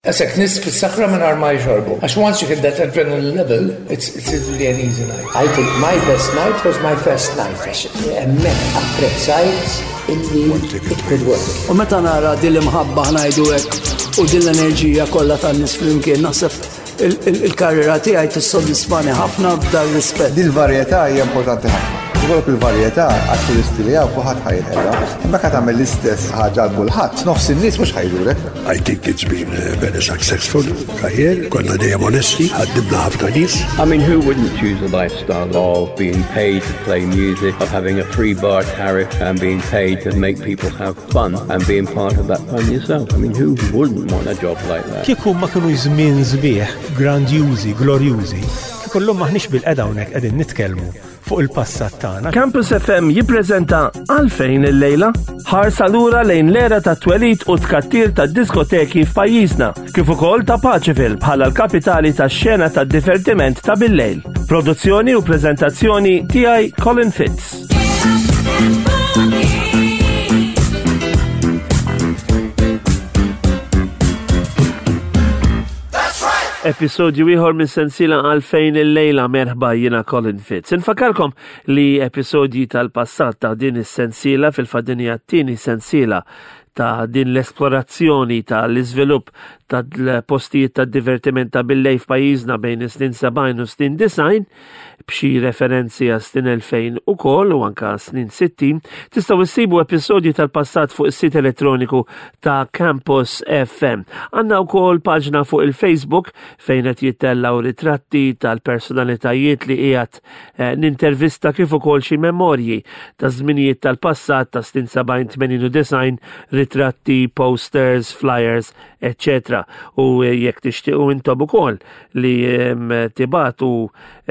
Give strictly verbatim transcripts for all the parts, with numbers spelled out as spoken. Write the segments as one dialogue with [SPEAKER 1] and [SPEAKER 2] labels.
[SPEAKER 1] Għasek nies fis-sakra minn ma jxorbu. Għax once you hit that adrenaline level, it's, it's really an easy night.
[SPEAKER 2] I think my best night was my first night. Għax hemmhekk apprezzajt illi it could work.
[SPEAKER 3] U meta nara din l-imħabba, ħa ngħidu hekk, u din l-enerġija kollha tan-nies flimkien, naħseb il-karriera tiegħi tissodisfani ħafna f'dar rispett.
[SPEAKER 4] Dil-varjetà hija importanti ħafna. Ikollok il-varjetà għat-turisti li hawn kulħadd ħa jinqeda. Imma ka tagħmel l-istess ħaġa għal kulħadd, nofs in-nies mhux ħa jżurek.
[SPEAKER 5] I think it's been a very successful career. Konna dejjem onesti, ħaddimna ħafna nies.
[SPEAKER 6] I mean, who wouldn't choose a lifestyle of being paid to play music, of having a free bar tariff and being paid to make people have fun and being part of that fun yourself? I mean, who wouldn't want a job like that?
[SPEAKER 7] Kieku ma kienu żmien sbieħ, grandjużi, glorjużi, kieku llum maħniex bilqiegħda hawnhekk qegħdin nitkellmu fuq il-passat tagħna.
[SPEAKER 8] Campus F M jippreżenta Għalfejn il-lejla, ħarsa lura lejn l-era ta' twelid u tkattir ta' diskoteki f'pajjiżna, kif ukoll ta' Paceville bħala l-kapitali tax-xena ta' divertiment ta' bil-lejl. Produzzjoni u preżentazzjoni tiegħi, Colin Fitz. Episodju ieħor minn sensiela Għalfejn il-lejla, merħba, jiena Colin Fitz. Infakarkom li episodji tal-passat ta' din is-sensiela, fil-fatt din hija t-tieni sensiela ta' din l-esplorazzjoni ta' l-iżvilupp tal-postijiet ta' divertiment ta' billejl f'pajjiżna bejn is-snin sebgħin u snin disgħin, b'xi referenzi għas snin elfejn ukoll u anka snin sittin, tistgħu issibu episodji tal-passat fuq is-sit elettroniku ta' Campus F M. Għandna wkoll paġna fuq il-Facebook fejn qed jittellgħu ritratti tal-personalitajiet li qiegħed eh, nintervista, kif ukoll xi memorji ta' żminijiet tal-passat ta' snin sebgħin, tmenin u disgħin, ritratti, posters, flyers, eccetera. U jekk tixtiequ intom ukoll li em, tibagħtu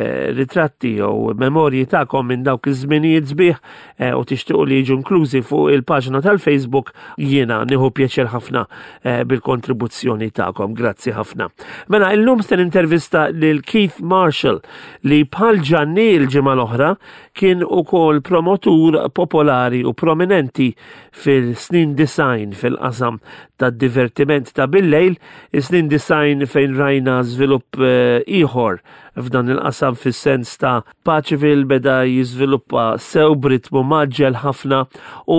[SPEAKER 8] eh, ritratti jew memorji tagħkom minn dawk iż-żminijiet sbieħ eh, u tixtiequ li jiġu inklużi fuq il-paġna tal-Facebook, jiena nieħu pjaċir ħafna eh, bil-kontribuzzjoni tagħkom. Grazzi ħafna. Mela, illum se nintervista lil Keith Marshall li bħal Ġanni l-ġimgħa l-oħra kien ukoll promotur popolari u prominenti fil-snin disgħin fil-qasam tad-divertiment ta' bil-lejl, is-snin disgħin fejn rajna żvilupp eh, ieħor f'dan il-qasam, fis-sens ta' Paceville beda jiżviluppa sew b'ritmu mgħaġġel ħafna u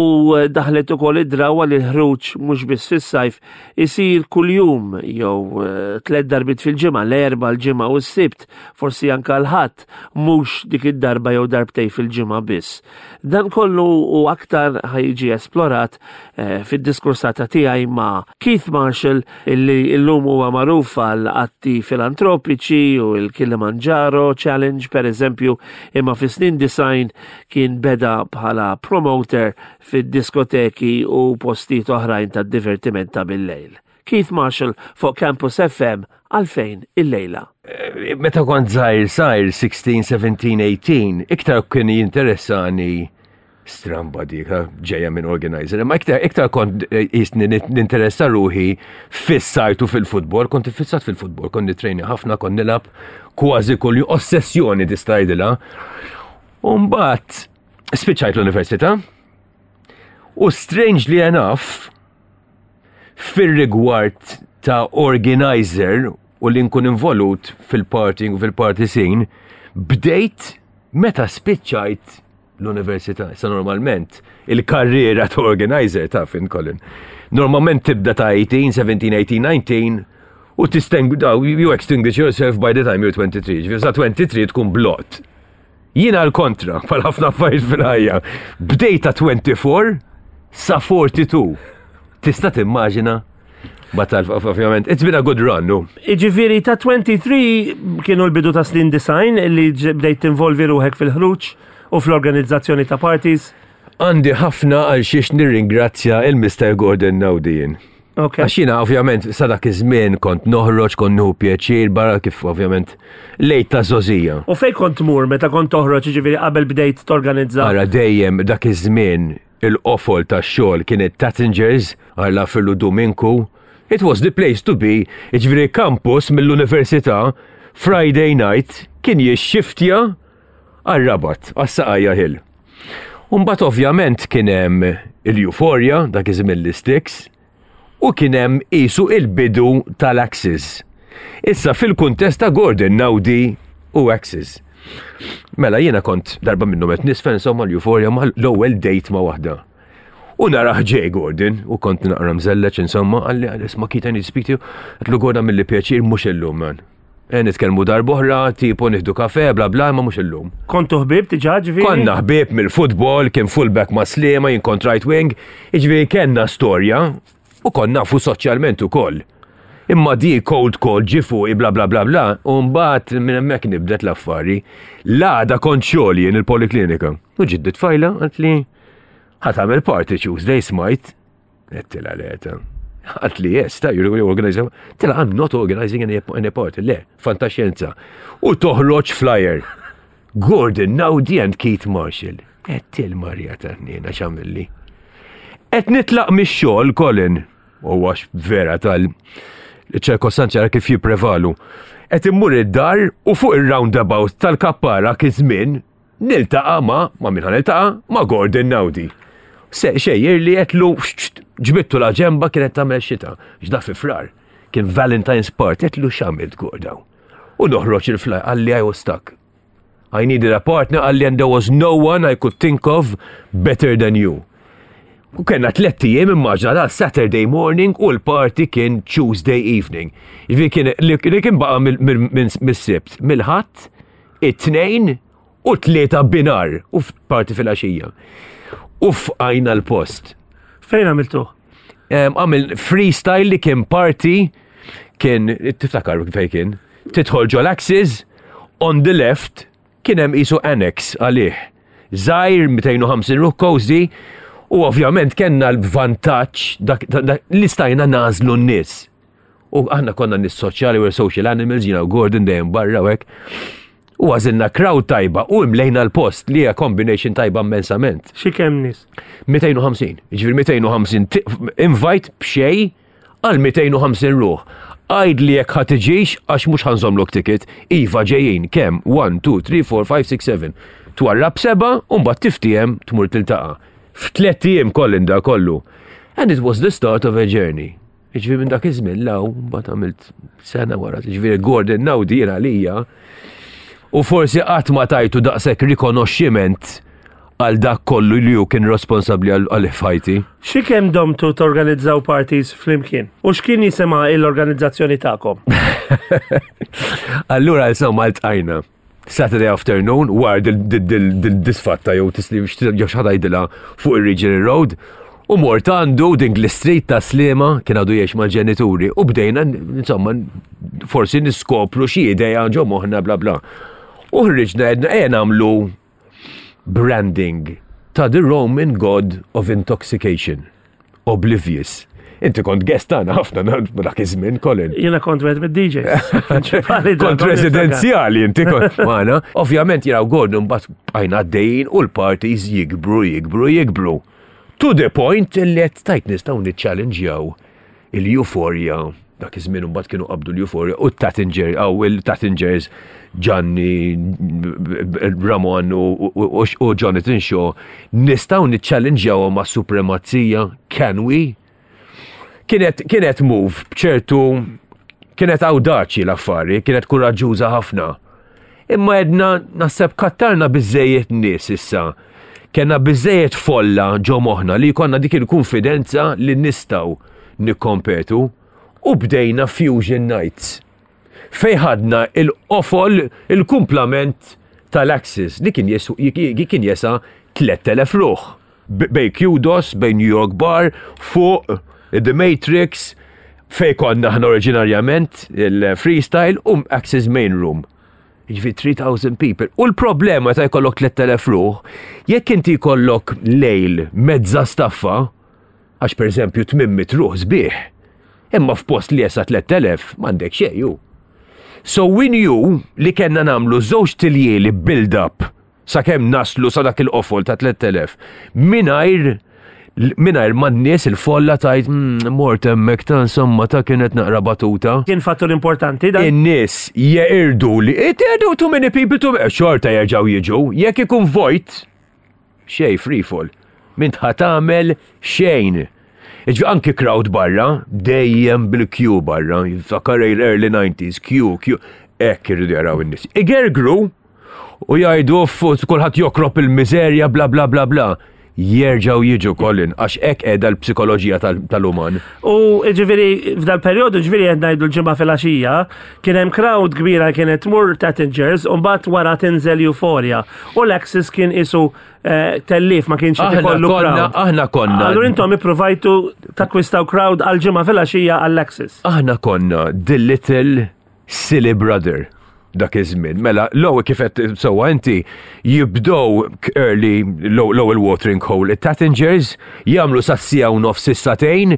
[SPEAKER 8] daħlet ukoll id-drawa li l-ħruġ mhux biss fis-sajf isir kuljum jew eh, tliet darbiet fil-ġimgħa, l-Erbgħa, l-Ġimgħa u s-Sibt, forsi anka l-Ħadd, mhux dik id-darba jew darbtej fil-ġimgħa biss. Dan kollu u aktar ħa jiġi esplorat eh, fid-diskursata tiegħi ma' Keith Marshall, illi illum huwa magħruf għal atti filantropiċi u l-Kilimanjaro Challenge per eżempju, imma fi snin disgħin kien beda bħala promoter fid-diskoteki u postijiet oħrajn ta' divertiment ta' bil-lejl. Keith Marshall fuq Campus F M, Għalfejn il-lejla.
[SPEAKER 9] Meta kont żgħir żgħir, sittax, sbatax, tmintax, iktar kien jinteressani, stramba dik, ġeja minn organizer, ma iktar, iktar kont jisni ninteressa ruħi fis-sajtu fil-futbol, kont fissat fil-futbol, kont nitrejni ħafna, kont nilgħab kważi kull ossessjoni tista' tgħidilha. U mbagħad spiċċajt l-università u, strangely enough, fir-rigward ta' organizer u li nkun involut fil-partying u fil-party scene, bdejt meta spiċċajt l-università. Sa normalment, il-karriera ta' organizer ta' fin Colin. Normalment tibda ta' tmintax, sbatax, tmintax, dsatax u tisteng, you extinguish yourself by the time you're twenty-three. Ġifieri sa tlieta u għoxrin tkun blot. Jiena l-kontra, bħal ħafna affarijiet fil-ħajja. Bdejt ta' erbgħa u għoxrin sa erbgħa u erbgħin. Tista' timmaġina? Batal, ovvjament, it's been a good run, no?
[SPEAKER 8] Iġifieri ta' tlieta u għoxrin kienu l-bidu ta' snin disgħin li bdejt tinvolvi ruħek fil-ħruġ u fl-organizzazzjoni ta' parties.
[SPEAKER 9] Għandi ħafna għal xiex nirringrazzja il-Mister Gordon Naudi jien.
[SPEAKER 8] Okay.
[SPEAKER 9] Għax jiena ovvjament sa dak iż-żmien kont noħroġ, kont nieħu pjaċir barra, kif ovvjament lejt ta' żgħożija.
[SPEAKER 8] U fej kont tmur meta kont toħroġ, ġifieri qabel bdejt torganizza?
[SPEAKER 9] Ara, dejjem dak iż-żmien il-qofol tax-xogħol kienet Tattingers, għalla fillu Dominku. It was the place to be, ġifieri campus mill-università, Friday night kien jixxiftja għal-Rabat, għas-Saqajja Hill. Umbat ovvjament kien hemm il-Euphoria, dak iż-żmien l-Sticks, U kien hemm qisu il-bidu tal-Axis. Issa fil-kuntest ta' Gordon Naudi u Axis. Mela jiena kont darba minnhom qed nisfen insomma l-Euphoria ma l-ewwel date ma' waħda. U narah ġej Gordon, u kont naqra mżelleċ insomma, qalli isma' Keith, I need to speak to you. Għedtlu Gordon mill pjaċir mhux illum man. E nitkellmu darb'oħra, tipo nieħdu kafe, bla bla, ma mhux illum.
[SPEAKER 8] Kontu ħbieb diġà ġifieri?
[SPEAKER 9] Konna ħbieb mill-futbol, kien fullback ma' Sliema, jien kont right wing, ġifieri kellna storja u konna nafu soċjalment ukoll. Imma di cold call ġie fuqi bla bla bla bla, u mbagħad minn hemmhekk nibdet l-affari. L-għada kont xogħol jien il-poliklinika. U ġiet tfajla qaltli ħa tagħmel party Tuesday smajt. Għedtilha le ta. Qaltli yes, ta' you're organizing. Għedtilha I'm not organizing any, any party. Le, fantaxjenza. U toħroġ flyer. Gordon Naudi and Keith Marshall. Għedt il-Marja ta' x'għamilli. Qed nitlaq mix-xogħol Colin. U għax vera tal ċirkostanzi għara kif jipprevalu. Qed immur id-dar u fuq il-roundabout tal-Kappara kizmin niltaqa' ma' ma' min niltaqa' ma' Gordon Naudi. Se xejjer li għedtlu ġbidtu la ġenba kienet tagħmel xita. Ġda fi Frar. Kien Valentine's Party għedtlu x'għamilt Gordon. U noħroġ il-flyer qalli I was stuck. I needed a partner qalli and there was no one I could think of better than you. U kellna tlett ijiem immaġina da Saturday morning u l-party kien Tuesday evening. Ġifieri kien li kien baqa mis-Sibt, mill-Ħadd, it-Tnejn u tlieta binhar u party fil-għaxija. U fqajna l-post.
[SPEAKER 8] Fejn għamiltu?
[SPEAKER 9] Għamil freestyle li kien party kien, tiftakar fej kien, tidħol ġol Axis, on the left kien hemm qisu annex għalih. Żgħir mitejn u ħamsin ruħ cozy, u ovvjament kellna l-vantaġġ li stajna nagħżlu n-nies. U aħna konna nies soċjali, we're social animals, you know, Gordon dejjem barra u hekk. U għażilna crowd tajba u imlejna l-post li hija combination tajba immensament.
[SPEAKER 8] Xi kemm nies?
[SPEAKER 9] mitejn u ħamsin. Ġifieri mitejn u ħamsin invite b'xejn għal mitejn u ħamsin ruħ. Għid li jekk ħa tiġix għax mhux ħa nżommlok ticket. Iva ġejjin kemm wieħed, tnejn, tlieta, erbgħa, ħamsa, sitta, sebgħa. Twarrab seba' u mbagħad tiftiehem tmur tiltaqa'. F'tliet ijiem kollin da kollu. And it was the start of a journey. Ġifieri minn dak iż-żmien law, mbagħad għamilt sena wara, ġifieri Gordon Naudi jien għalija. U forsi qatt ma tajtu daqshekk rikonoxximent għal dak kollu li hu kien responsabbli għal ħajti.
[SPEAKER 8] Xi kemm domtu torganizzaw parties flimkien? U x'kien jisimha l-organizzazzjoni tagħkom?
[SPEAKER 9] Allura insomma ltqajna. Saturday afternoon, wara dil-disfatta jew tisli jew xi ħadd jgħidilha fuq il-Regional Road, u mort għandu din l-street ta' Sliema kien għadu jgħix mal-ġenituri u bdejna insomma forsi niskopru xi idea ġo moħħna bla bla. U ħriġna għedna ejja nagħmlu branding ta' The Roman God of Intoxication, Oblivious. Inti kont guest tagħna ħafna dak iż-żmien, Colin.
[SPEAKER 8] Jiena kont wieħed mid-D Js.
[SPEAKER 9] Kont residenzjali inti kont magħna. Ovvjament jiena u Gordon mbagħad bqajna għaddejjin u l-parties jikbru, jikbru, jikbru. To the point li qed tajt nistgħu niċċallenġjaw il-Euphoria dak iż-żmien mbagħad kienu qabdu l-Euphoria u t-Tattinger, aw il-Tattingers Gianni, Ramon u, u Jonathan Shaw, nistgħu niċċallenġjaw ma' supremazija, can we? Kienet, kienet move bċertu, kienet awdaċi l-affari, kienet kuraġġuża ħafna. Imma għedna naħseb kattarna biżżejjed nies issa. Kellna biżżejjed folla ġo moħħna li konna dik il-konfidenza li nistgħu nikkompetu u bdejna Fusion Nights. Fej ħadna il-qofol, il-kumplament tal-Axis li kien kien jesa tliet elef ruħ. Bejn Kudos, bejn New York Bar, fuq The Matrix, fej konna ħna oriġinarjament il-freestyle u Axis Main Room. Ġifieri three thousand people. U l-problema ta' jkollok tliet elef ruħ, jekk inti jkollok lejl mezza staffa, għax per eżempju tmien mitt ruħ sbieħ, imma f'post li jesa tliet elef m'għandek xejn. So we knew li kellna nagħmlu żewġt iljieli build-up sakemm naslu sa dak il-qofol ta' tliet elef mingħajr mingħajr ma n-nies il-folla tajt mm, mort hemmhekk ta' insomma ta' kienet naqra batuta.
[SPEAKER 8] Kien fattur importanti dan.
[SPEAKER 9] In-nies jeqirdu li it too many people too xorta jerġgħu jiġu, jekk ikun vojt xej free fall. M'int ħa tagħmel xejn. Iġvi anki crowd barra, dejjem bil-queue barra, jiftakar early nineties, queue, queue, hekk irridu jaraw in-nies. Igergru u jgħidu uff, kulħadd jokrob il-miżerja, bla bla bla bla. Jerġgħu jiġu, Colin, għax hekk qiegħda l-psikoloġija tal-uman.
[SPEAKER 8] U ġifieri, f'dal periodu, ġifieri qed ngħidu l-Ġimgħa filgħaxija, kien hemm crowd kbira kienet tmur Tattingers u mbagħad wara tinżel Euphoria. U l-Axis kien isu eh, tellif, ma kienx qed
[SPEAKER 9] Aħna
[SPEAKER 8] ikollu
[SPEAKER 9] konna,
[SPEAKER 8] crowd.
[SPEAKER 9] aħna konna.
[SPEAKER 8] Allura intom ipprovajtu takkwistaw crowd għal Ġimgħa filgħaxija għall-Axis.
[SPEAKER 9] Aħna konna the little silly brother dak iż-żmien. Mela, l-ewwel kif qed sewwa inti, jibdew early l-ewwel watering hole. It-Tattingers jagħmlu sas-siegħa u nofs, is-sagħtejn,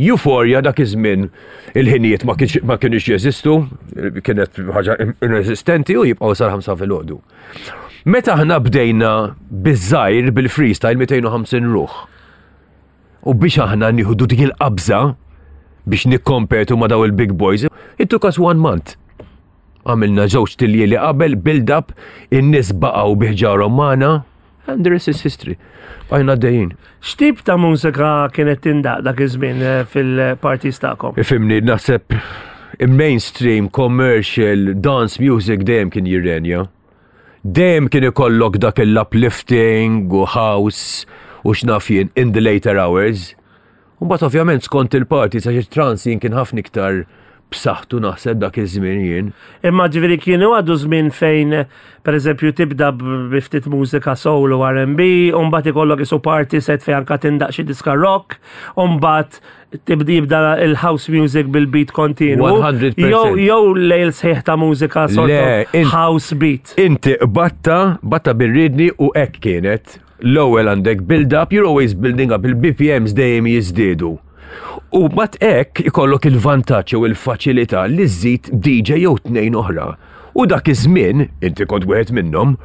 [SPEAKER 9] Euphoria. Dak iż-żmien il-ħinijiet ma kienx ma kienux jeżistu, kienet ħaġa inesistenti, u jibqgħu sal-ħamsa filgħodu. Meta aħna bdejna biż-żgħir bil-freestyle mitejn u ħamsin ruħ. U biex aħna nieħdu dik il-qabża biex nikkompetu ma' daw il-big boys, it took us one month. Għamilna żewġ tiljieli qabel, build up, in-nies baqgħu bi ħġarhom magħna, and the rest is history. Bqajna dejjin.
[SPEAKER 8] X'tip ta' mużika kienet tindaq dak iż-żmien eh, fil-parties tagħkom?
[SPEAKER 9] Ifhimni, naħseb mainstream, commercial, dance music dejjem kien jirrenja. Dejjem kien ikollok dak il-uplifting u house u x'naf jien in the later hours. U mbagħad ovvjament skont il-party, sa trance jien kien ħafna iktar b'saħħtu naħseb dak iż-żmien jien.
[SPEAKER 8] Imma ġifieri kienu għadu żmien fejn, per eżempju, tibda bi ftit mużika soul u R and B, u mbagħad ikollok isu party set fejn anka tindaq xi diska rock, u mbagħad tibda jibda il-house music bil-beat kontinu.
[SPEAKER 9] mija fil-mija.
[SPEAKER 8] Jew jew lejl sħiħ ta' mużika sort
[SPEAKER 9] Le,
[SPEAKER 8] of
[SPEAKER 9] int-
[SPEAKER 8] house beat.
[SPEAKER 9] Inti batta, batta birridni u hekk kienet. L-ewwel għandek build up, you're always building up, il-B P Ms dejjem jiżdiedu. U mat hekk ikollok il-vantaġġ u il-faċilità li żżid D J jew tnejn oħra. U dak iż-żmien, inti kont wieħed minnhom,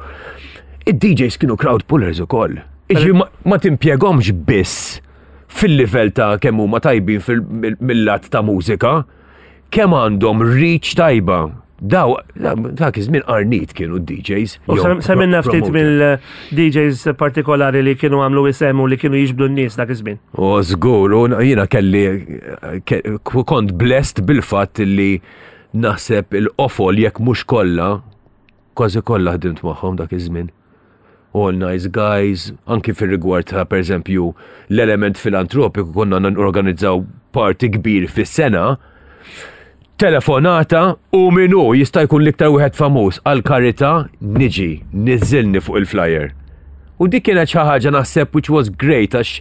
[SPEAKER 9] id-D Js kienu crowd pullers ukoll. Iġi ma, ma timpjegomx biss fil-livell ta' kemm huma tajbin fil- mill-lat ta' mużika, kemm għandhom reach tajba. Daw, dak iż-żmien qarnit kienu d-D Js.
[SPEAKER 8] U
[SPEAKER 9] jew
[SPEAKER 8] sem- semmilna ftit
[SPEAKER 9] promoter.
[SPEAKER 8] mill-D Js partikolari li kienu għamlu isem u li kienu jiġbdu n-nies dak iż-żmien.
[SPEAKER 9] U żgur, u jiena kelli ke- kont blessed bil-fatt li naħseb il-qofol, jekk mhux kollha, kważi kollha ħdimt magħhom dak iż-żmien. All nice guys, anki fir-rigward ta' per eżempju l-element filantropiku, konna organizzaw party kbir fis-sena, telefonata u minu jista' jkun l-iktar wieħed famuż għal karità, niġi, niżilni fuq il-flyer. U dik kienet xi ħaġa naħseb which was great, għax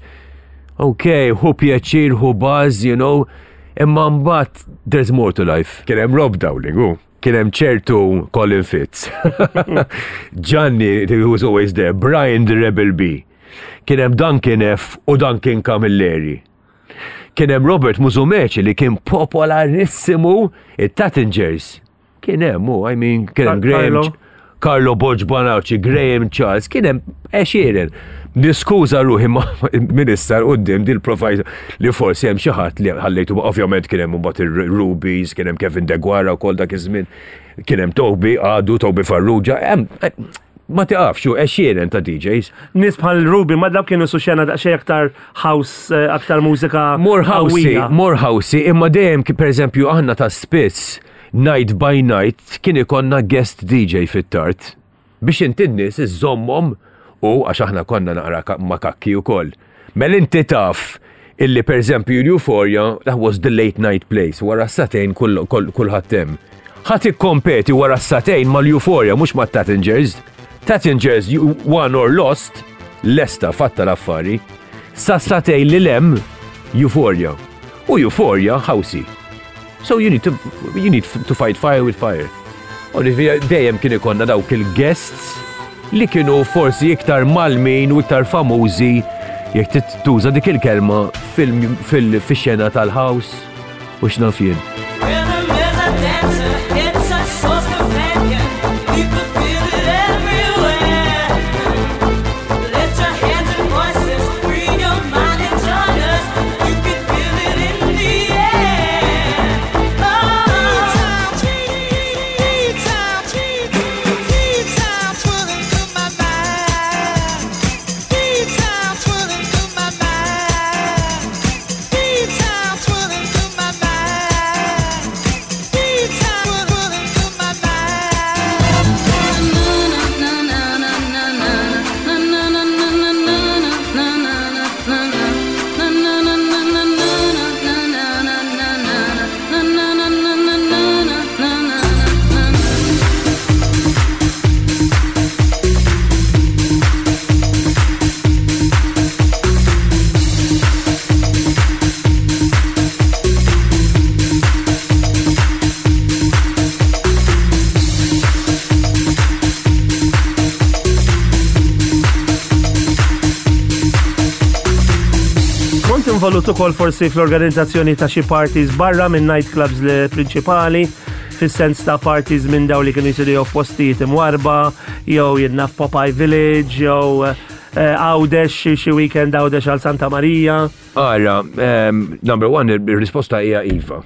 [SPEAKER 9] ok, hu pjaċir, hu buzz, you know, imma mbagħad there's more to life. Kien hemm Rob Dowling, u kien hemm ċertu Colin Fitz. Gianni, who was always there, Brian the Rebel B. Kien hemm Duncan F u Duncan Camilleri. Kien hemm Robert Musumeci li kien popolarissimu, it-Tattingers. Kien hemm, u, I mean, kien hemm
[SPEAKER 8] Car-
[SPEAKER 9] Graham
[SPEAKER 8] Carlo.
[SPEAKER 9] Carlo Borg Bonacci, Graham Charles, kien hemm għexieren. Niskuża ruħi ma' minister quddiem dil profile li forsi hemm xi ħadd li ħallejtu, ovvjament kien hemm mbagħad ir-Rubies, kien hemm Kevin Deguara wkoll dak iż-żmien, kien hemm Toby, għadu Toby Farrugia, hemm ma tiqafx, u għexieren ta' D Js.
[SPEAKER 8] Nies bħal Ruby, ma dawk kienu su xena daqsxejn aktar house, eh, aktar mużika
[SPEAKER 9] More housey,
[SPEAKER 8] qawwija.
[SPEAKER 9] More housey, imma dejjem ki- per eżempju aħna ta' spiss night by night kien ikonna guest D J fit-tard biex inti n-nies iżommhom, u għax aħna konna naqra ka- makakki ukoll. Mela inti taf illi per eżempju l-Euphoria, that was the late night place, wara s-sagħtejn kull- kull- kulħadd hemm. Ħadd ikkompeti wara s-sagħtejn mal-Euphoria, mhux ma' Tattingers. Tattingers, you won or lost, lesta fatta l-affari. Sa sagħtejn li lem, Euphoria. U Euphoria, housey. So you need to, you need to fight fire with fire. U dejjem kien ikonna dawk il-guests li kienu forsi iktar malmin u iktar famużi, jekk tuża dik il-kelma, fil-xena tal-house u x'naf jien.
[SPEAKER 10] Rhythm is a dancer, it's a source companion. You can feel it everywhere. Lift your hands and voices, free your mind and join us. You can feel it in the air. Oh.
[SPEAKER 8] involut ukoll forsi fl-organizzazzjoni ta' xi parties barra minn nightclubs li prinċipali, fis-sens ta' parties minn daw li kienu jsiru jew f'postijiet imwarba, jew jiena f'Popeye Village, jew eh, Għawdex, xi- xi weekend Għawdex għal Santa Maria.
[SPEAKER 9] Ara, um, number one, il-risposta hija Iva.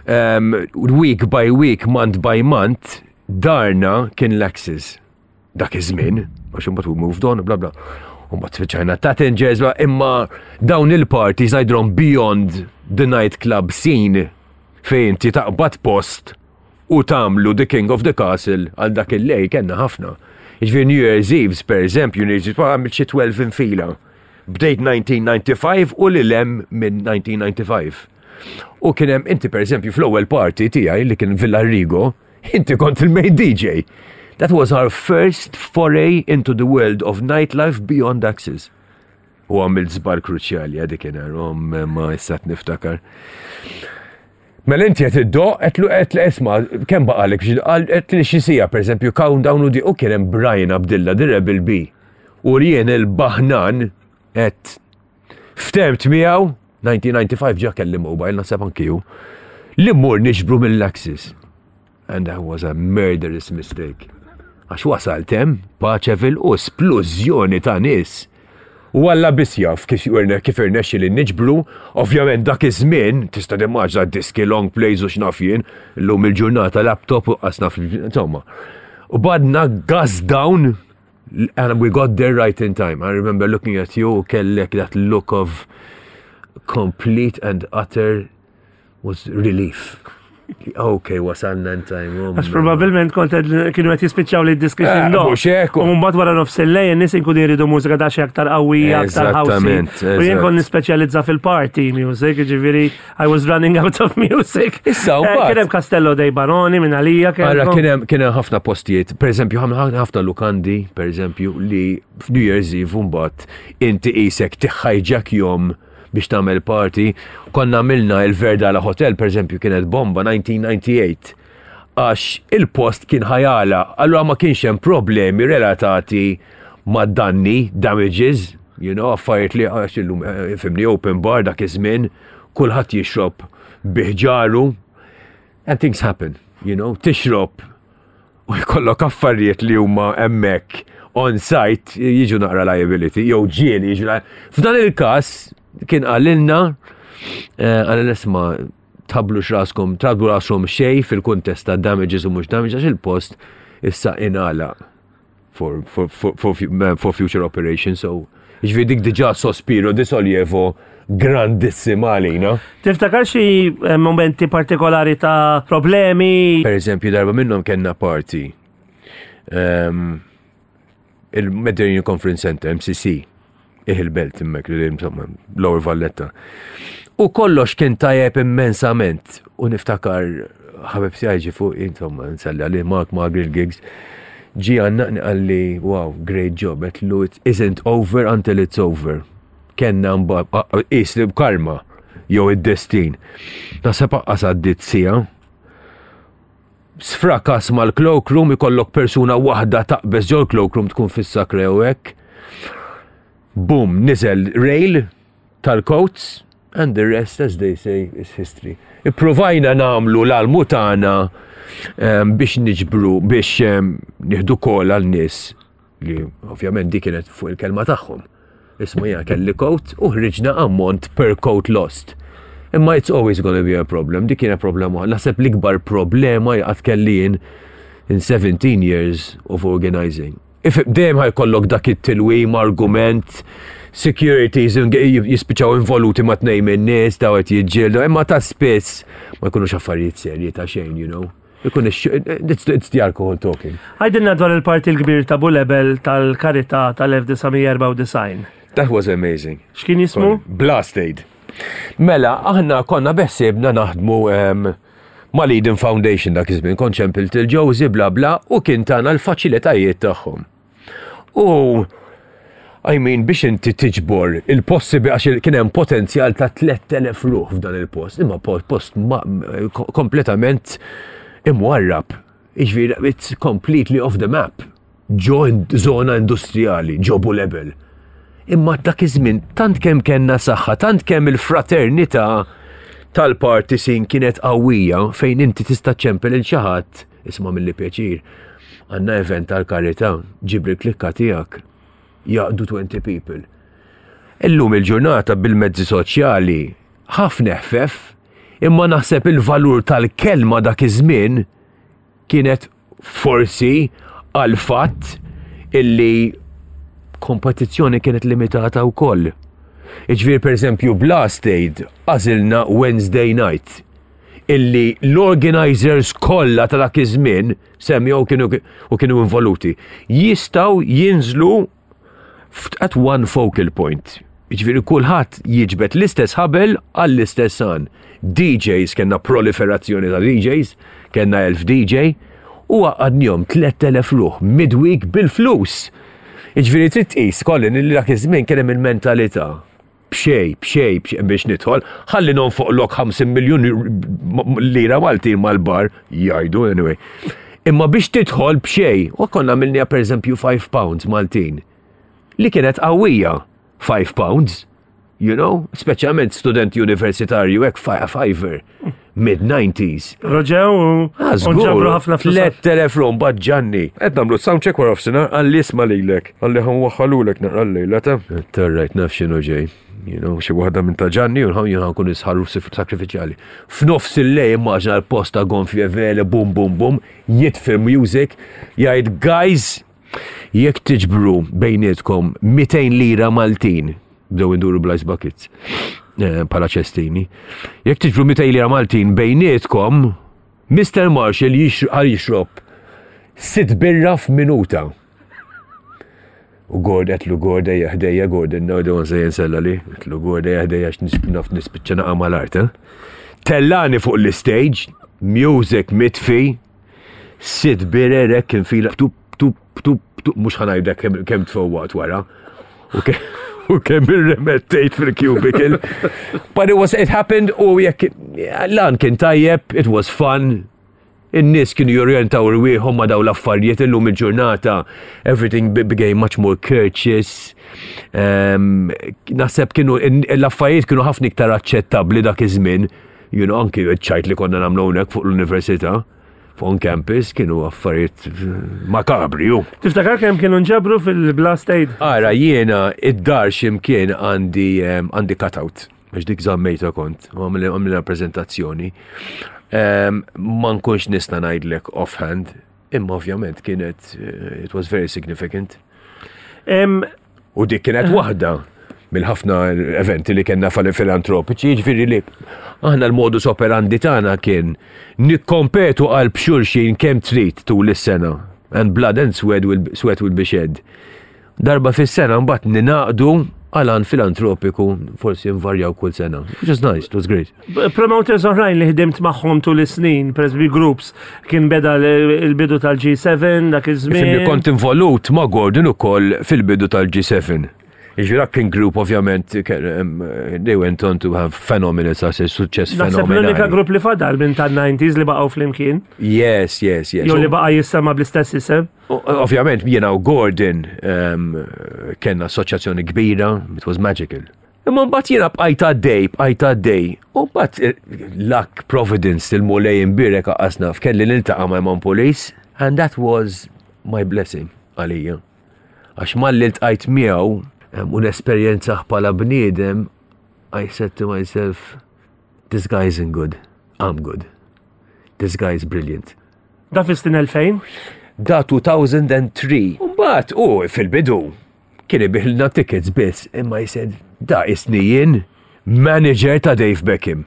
[SPEAKER 9] Um, week by week, month by month, darna kien l-Axis. Dak iż-żmien, għax imbagħad we moved on, bla bla. U mbagħad spiċċajna Tattingers, bla, imma dawn il-parties ngħidulhom beyond the nightclub scene fejn inti taqbad post u tagħmlu the king of the castle għal dak il-lejl kellna ħafna. Jiġifieri New Year's Eve, per eżempju, New Year's Eve, għamilt xi tnax infila. Bdejt elf disa' mija u disgħa u disgħin u lil hemm minn elf disa' mija u disgħa u disgħin. U kien hemm inti, per eżempju, fl-ewwel party tiegħi li kien Villa Rigo, inti kont il-main D J. That was our first foray into the world of nightlife beyond Axis. U għamilt żball kruċjali għadik kien ma issa niftakar. Mela inti qed iddoqq, għedtlu qed li isma' kemm baqalek biex qal qed li xi siegħa, pereżempju, countdown u di u kien hemm Brian Abdilla, the Rebel B. U jien il-baħnan qed ftemt miegħu elf disa' mija u disgħa u disgħin ġa kelli mobile, naħseb anki hu, li mmur niġbru mill-Axis. And that was a murderous mistake. Għax wasalt hemm Paċeville u splużjoni ta' nies. U Alla biss jaf kif irne- kif irnexxi li niġbru, ovvjament dak iż-żmien tista' timmaġina diski, long plays u x'naf jien, illum il-ġurnata laptop u qasna insomma. U badna gas down and we got there right in time. I remember looking at you, kellek that look of complete and utter was relief. Okay, wasalna in time. Oh,
[SPEAKER 8] Għax probabilment kont qed- kienu qed jispiċċaw li d-diski
[SPEAKER 9] Eh,
[SPEAKER 8] xindu.
[SPEAKER 9] Mhux hekk.
[SPEAKER 8] U mbagħad wara nofs il-lejl in-nies inkunu jridu mużika daqsxejn aktar qawwija, aktar housey.
[SPEAKER 9] Eżattament,
[SPEAKER 8] U jien
[SPEAKER 9] eżatt.
[SPEAKER 8] kont nispeċjalizza fil-party music, ġifieri I was running out of music.
[SPEAKER 9] Issa, u
[SPEAKER 8] Eh,
[SPEAKER 9] mbagħad-
[SPEAKER 8] Kien hemm Castello dei Baroni minn għalija.
[SPEAKER 9] Ara,
[SPEAKER 8] kellkom.
[SPEAKER 9] kien hemm kien hemm ħafna postijiet, per eżempju, ħafna ħafna lukandi, per eżempju, li f'New Year's Eve mbagħad inti qisek tiħħajġak biex tagħmel party. Konna għamilna il-Verdala Hotel, per eżempju, kienet bomba elf disa' mija u disgħa u disgħin. Għax il-post kien ħa jagħlaq, allura ma kienx hemm problemi relatati ma' danni, damages, you know, affarijiet li għax illum, eh, fhimni, open bar dak iż-żmien, kulħadd jixrob biħġaru, and things happen, you know, tixrob u jkollok affarijiet li huma hemmhekk on site jiġu naqra liability, jew ġieli jiġu li- F'dan il-każ kien qalilna, eh, qalilna, "Isma', tħabblux raskom, tħabblu raskom xejn fil-kuntest ta' damages u mhux damages, għax il-post issa ingħalaq for, for, for, for, fu- for future operations." So, ġifieri dik diġà sospiro di sollievo grandissima għalina.
[SPEAKER 8] Tiftakar xi eh, momenti partikolari ta' problemi?
[SPEAKER 9] Per eżempju, darba minnhom kellna party. Um, il-Mediterranean Conference Center, M C C, il-belt hemmhekk, li insomma, Lower Valletta. U kollox kien tajjeb immensament. U niftakar ħabib tiegħi fuq, insomma, nselli għalih, Mark Margaret Giggs, ġi għannaqni, qalli, "Wow, great job," għedtlu, "It isn't over until it's over." Kellna is li karma, jew id-destin. Naħseb aqqas għaddit siegħa, sfrakas mal-cloakroom, ikollok persuna waħda taqbeż ġol cloakroom tkun fis-sakra jew hekk. Boom, niżel rail tal-coats and the rest, as they say, is history. Ipprovajna nagħmlu l-almu tagħna em, biex niġbru, biex em, nieħdu kol għal nies li ovvjament di kienet fuq il-kelma tagħhom. Isma', jien kelli coat u ħriġna ammont per coat lost. Imma it's always gonna be a problem. Dik kienet problema. Naħseb l-ikbar problema li qatt kelli jien in seventeen years of organizing. If dejjem ħa jkollok dak it-tilwim, argument, securities jispiċaw involuti ma' tnejn minn nies, daw qed jiġġieldu, imma ta' spiss ma jkunux affarijiet serji ta' xejn, you know. Ikun ix- it's, it's the alcohol talking.
[SPEAKER 8] Għidilna dwar il-party l-kbir ta' Bulebel tal-Karità tal-elf disa' mija u erbgħa u disgħin.
[SPEAKER 9] That was amazing.
[SPEAKER 8] X'kien jismu?
[SPEAKER 9] Blast Aid. Mela, aħna konna beħsiebna naħdmu um, mal-Eden Foundation dak iż-żmien, kont ċempilt il-Josie, bla bla, u kien tana l-faċilitajiet tagħhom. U I mean, biex inti tiġbor il-possibi, għax kien hemm potenzjal ta' tliet elef ruħ f'dan il-post, imma po- post ma- kompletament imwarrab. Iġifieri, it's completely off the map. Ġo in- zona industrijali, ġo Bulebel. Imma dak iż-żmien tant kemm kellna saħħa, tant kemm il-fraternità tal-party scene kienet qawwija fejn inti tista' ċempel lil xi ħadd, isma' milli pjaċir. Għandna event tal-karità, ġib il-klikka tiegħek. Jaqdu twenty people. Illum il-ġurnata bil-mezzi soċjali ħafna ħfef, imma naħseb il-valur tal-kelma dak iż-żmien kienet forsi għal fatt illi kompetizzjoni kienet limitata wkoll. Iġifieri, per eżempju, Blast Aid għażilna Wednesday night illi l-organizers kollha ta' dak iż-żmien semmew kienu u kienu involuti jistgħu jinżlu at one focal point. Ġifieri kulħadd jiġbed l-istess ħabel għall-istess għan. D Js, kellna proliferazzjoni ta' D Js, kellna elf D J, u għaqqadnihom tlett elef ruħ midweek bil-flus. Ġifieri trid tqis, Colin, li dak iż-żmien kien hemm il-mentalità. B'xejn, b'xejn, b'xejn biex nidħol, ħalli nonfoqlok ħamsin miljun lira Maltin mal-bar, jgħidu anyway. Imma biex tidħol b'xejn, u konna għamilniha per eżempju five pounds Maltin. Li kienet qawwija, five pounds, you know, speċjalment student universitarju hekk fiver, mid-nineties.
[SPEAKER 8] Roġew u
[SPEAKER 9] Ah,
[SPEAKER 8] nġabru ħafna flus.
[SPEAKER 9] Tlett elef rom ġanni. Qed nagħmlu soundcheck wara nofsinhar, qalli, "Isma' lilek, qalli ħa nwaħħalulek naqra l-lejla ta'." Terrajt naf x'inhu ġej. You know, xi waħda minn ta' ġanni u nħaw jien nkun isħarru sakrifiċjali. F'nofs il-lejl immaġina l-posta gonfje vele, bum bum bum, jitfi music, jgħid, "Guys, jekk tiġbru bejnietkom mitejn lira Maltin," bdew induru bl-ice buckets, eh, bħala ċestini, "jekk tiġbru mitejn lira Maltin bejnietkom, Mister Marshall għal jixrob sitt birra f'minuta." U Gord, għedtlu, "Gord, ejja ħdejja, Gordon, no, don't say nsella li, għedtlu, "Gord, ejja ħdejja, naf nispiċċa naqa' mal-art, eh?" Tellani fuq l-stage, music mitfi, sitt birerek kien fila, tup, tup, tup, tup, mhux ħa ngħidlek kemm kemm tfowwaqt wara. U ke- U kemm irremettejt fil-cubicle. But it was, it happened, u jekk, lan kien tajjeb, it was fun. In-nies kienu jorjentaw rwieħhom ma' daw l-affarijiet. Illum il-ġurnata everything be- became much more courteous. Um, naħseb kienu l-affarijiet kienu ħafna iktar aċċettabbli dak iż-żmien. You know, anki ċajt li konna nagħmlu hawnhekk fuq l-università, fuq on campus, kienu affarijiet makabri ju.
[SPEAKER 8] Tiftakar kemm kienu nġabru fil-Blast Aid?
[SPEAKER 9] Ara, jiena id-dar ximkien għandi em, għandi cutout, għax dik żammejta kont, u għamilna prezentazzjoni. Em, Ma nkunx nista' ngħidlek offhand, imma ovvjament kienet, eh, it was very significant.
[SPEAKER 8] Em,
[SPEAKER 9] U dik kienet waħda mill-ħafna eventi li kellna fil-filantropiċi, ġifieri li aħna l-modus operandi tagħna kien nikkompetu għal b'xulxin kemm trid tul is-sena. And blood and sweat will, sweat will be shed. Darba fis-sena mbagħad ninaqdu għal għan filantropiku, forsi nvarjaw kull sena. Which is nice, it was great.
[SPEAKER 8] Promoters oħrajn li ħdimt magħhom tul is-snin, per eżempju groups, kien beda l- il-bidu tal-G seven dak iż-żmien.
[SPEAKER 9] Ifhimni, kont involut ma' Gordon ukoll fil-bidu tal-G seven. Ġifieri dak kien group ovvjament, em, they went on to have phenomenal success, suċċess
[SPEAKER 8] Naħseb l-unika
[SPEAKER 9] fenomenali.
[SPEAKER 8] grupp li fadal minn tan-nineties li baqgħu flimkien.
[SPEAKER 9] Yes, yes, yes.
[SPEAKER 8] Jew li baqa' jissema bl-istess isem.
[SPEAKER 9] U- Ovvjament, jiena u Gordon um, kellna assoċjazzjoni kbira, it was magical. Imma mbagħad jiena bqajt għaddej, bqajt għaddej. U mbagħad eh, luck, Providence, il-Mulej imbierek qasna f'kelli niltaqa' ma' Eman Police, and that was my blessing għalija. Għax malli ltqajt miegħu um, u nesperjenzah bħala bniedem, I said to myself, "This guy isn't good, I'm good. This guy is brilliant."
[SPEAKER 8] Da fis-snin elfejn?
[SPEAKER 9] Da two thousand and three. Mbagħad u fil-bidu kien ibigħilna tickets biss, imma I said, "Da isni jien manager ta' Dave Beckham."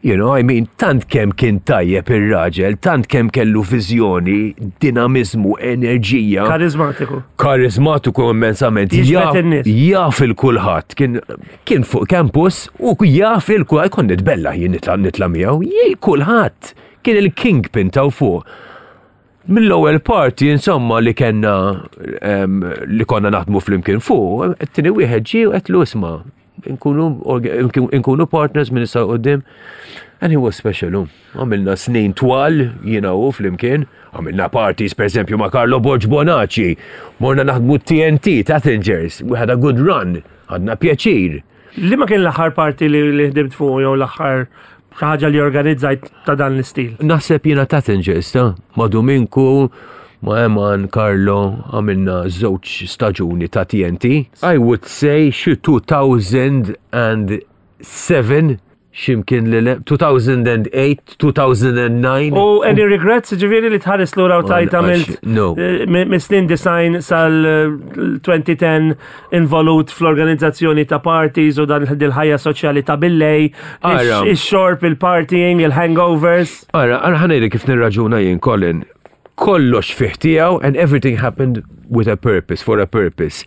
[SPEAKER 9] You know, I mean, tant kemm kien tajjeb ir-raġel, tant kemm kellu viżjoni, dinamizmu, enerġija.
[SPEAKER 8] Karizmatiku.
[SPEAKER 9] Karizmatiku immensament.
[SPEAKER 8] Jiġbed
[SPEAKER 9] Jaf-
[SPEAKER 8] in-nies.
[SPEAKER 9] Jaf il-kulħadd. Kien, kien fuq campus u jaf il-kulħadd. Kont nitbella jien nitla' nitla' miegħu. Jien kulħadd. Kien il-kingpin taw fuq. Mill-ewwel party insomma li kellna em, li konna naħdmu flimkien fuq, it-tieni wieħed ġie u għedtlu, "Isma', nkunu orga- nkunu partners minn issa quddiem." And he was special, hu. Għamilna snin twal, jiena u flimkien. Għamilna parties, per esempio, ma' Carlo Borg Bonaci. Morna naħdmu T N T, Tattingers. We had a good run. Ħadna pjaċir.
[SPEAKER 8] Li ma kien l-aħħar party li li ħdimt fuq jew l-aħħar xi ħaġa li organizzajt ta' dan l-istil?
[SPEAKER 9] Naħseb jiena Tattingers, ta' ma' Dominku, ma' Eman, Carlo, għamilna żewġ staġuni ta' T N T. I would say xi two thousand and seven, ximkien li le, two thousand and eight, two thousand and nine.
[SPEAKER 8] U any regrets, ġifieri li tħares lura u tgħid għamilt
[SPEAKER 9] No.
[SPEAKER 8] eh, mis-snin disgħin sal-elfejn u għaxra involut fl-organizzazzjoni ta' parties u dan dil-ħajja soċjali ta' billejl,
[SPEAKER 9] Ara.
[SPEAKER 8] ix-xorb, il-partying, il-hangovers?
[SPEAKER 9] Ara, ara ħa ngħidlek kif nirraġuna jien, Colin. Kollox fih tiegħu and everything happened with a purpose, for a purpose.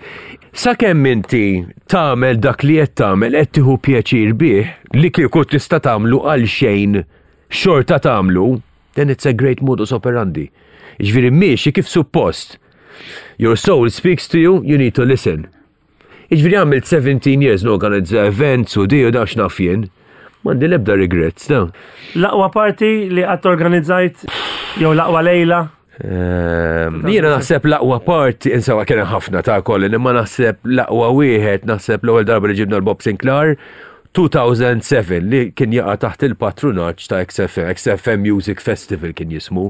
[SPEAKER 9] Sakemm inti tagħmel dak li qed tagħmel qed tieħu pjaċir bih, li kieku tista' tagħmlu għal xejn xorta tagħmlu, then it's a great modus operandi. Jiġifieri miexi kif suppost. Your soul speaks to you, you need to listen. Jiġifieri għamilt seventeen years norganizza events u di u dax naf jien. M'għandi l-ebda regrets, da.
[SPEAKER 8] L-aqwa party li qatt organizzajt jew l-aqwa lejla?
[SPEAKER 9] Ehm, Jiena naħseb l-aqwa party, insomma kien hemm ħafna ta' Colin, imma naħseb l-aqwa wieħed, naħseb l-ewwel darba li ġibna l-Bob Sinclair, two thousand and seven, li kien jaqa' taħt il-patrunaġġ ta' X F M, X F M Music Festival kien jismu.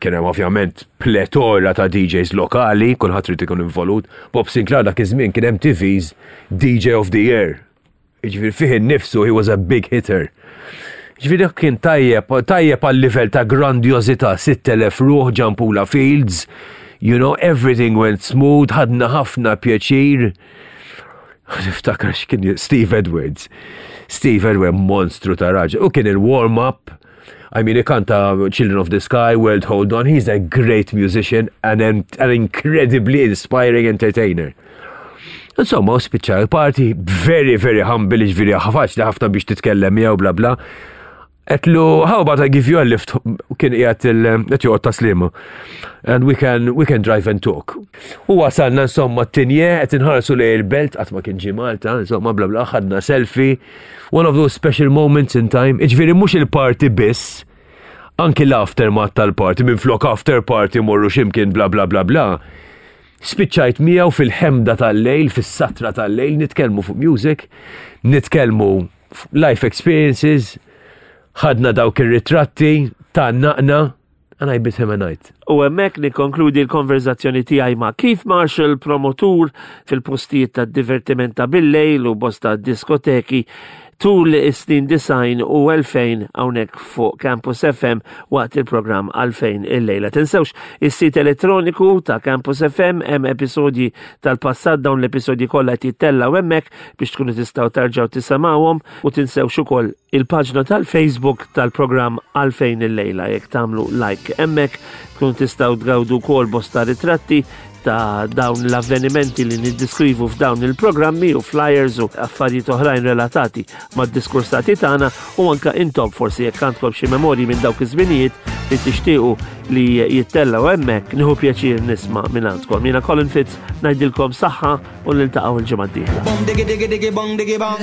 [SPEAKER 9] Kien hemm ovvjament pletora ta' D Js lokali, kulħadd irid ikun involut. Bob Sinclair dak iż-żmien kien M T V's D J of the Year. Jiġifieri fih innifsu he was a big hitter. Ġifieri dak kien tajjeb, tajjeb għal livell ta' grandjozità, sitt elef ruħ Gianpula Fields, you know, everything went smooth, ħadna ħafna pjaċir. Niftakar x'kien Steve Edwards. Steve Edwards monstru ta' raġel. U kien il-warm-up. I mean, ikanta Children of the Sky, World Hold On. He's a great musician and an, an incredibly inspiring entertainer. Insomma, u spiċċa il-party, very, very humble, ġifieri faċli ħafna biex titkellem miegħu, bla bla. Għedtlu, "How about I give you a lift?" Kien qiegħed il qed joqgħod Tas-Sliema. "And we can we can drive and talk." U wasalna insomma t-Tigne, qed inħarsu lejn il-belt, qatt ma kien ġie Malta, insomma bla bla, ħadna selfie. One of those special moments in time. Iġifieri mhux il-party biss, anki l-aftermath tal-party, minn flok after party morru ximkien bla bla bla bla. Spiċċajt miegħu fil-ħemda tal-lejl, fis-satra tal-lejl, nitkellmu fuq music, nitkellmu life experiences, ħadna dawk ir-ritratti ta' naqna, and I bid him a night.
[SPEAKER 8] U hemmhekk nikkonkludi l-konverzazzjoni tiegħi ma' Keith Marshall, promotur fil-postijiet ta' divertiment ta' billejl u bosta diskoteki tul is-snin disgħin u elfejn, hawnhekk fuq Campus F M waqt il-programm Għalfejn il-lejla. Tinsewx is-sit elettroniku ta' Campus F M, hemm episodji tal-passat, dawn l-episodji kollha qed jittellgħu hemmhekk biex tkunu tistgħu terġgħu tisimgħuhom, u tinsewx ukoll il-paġna tal-Facebook tal-programm Għalfejn il-lejla. Jekk tagħmlu like hemmhekk tkunu tistgħu tgawdu wkoll bosta ritratti ta' dawn l-avvenimenti li niddiskrivu f'dawn il-programmi u flyers u affarijiet oħrajn relatati mad-diskursati tagħna, u anka intom forsi jekk għandkom xi memorji minn dawk iż-żminijiet li tixtiequ li jittellgħu hemmhekk, nieħu pjaċir nisma' minn għandkom. Jiena Colin Fitz ngħidilkom saħħa u niltaqgħu il-ġimgħa d-dieħla.
[SPEAKER 10] Bong diggy diggy diggy bong diggy bong.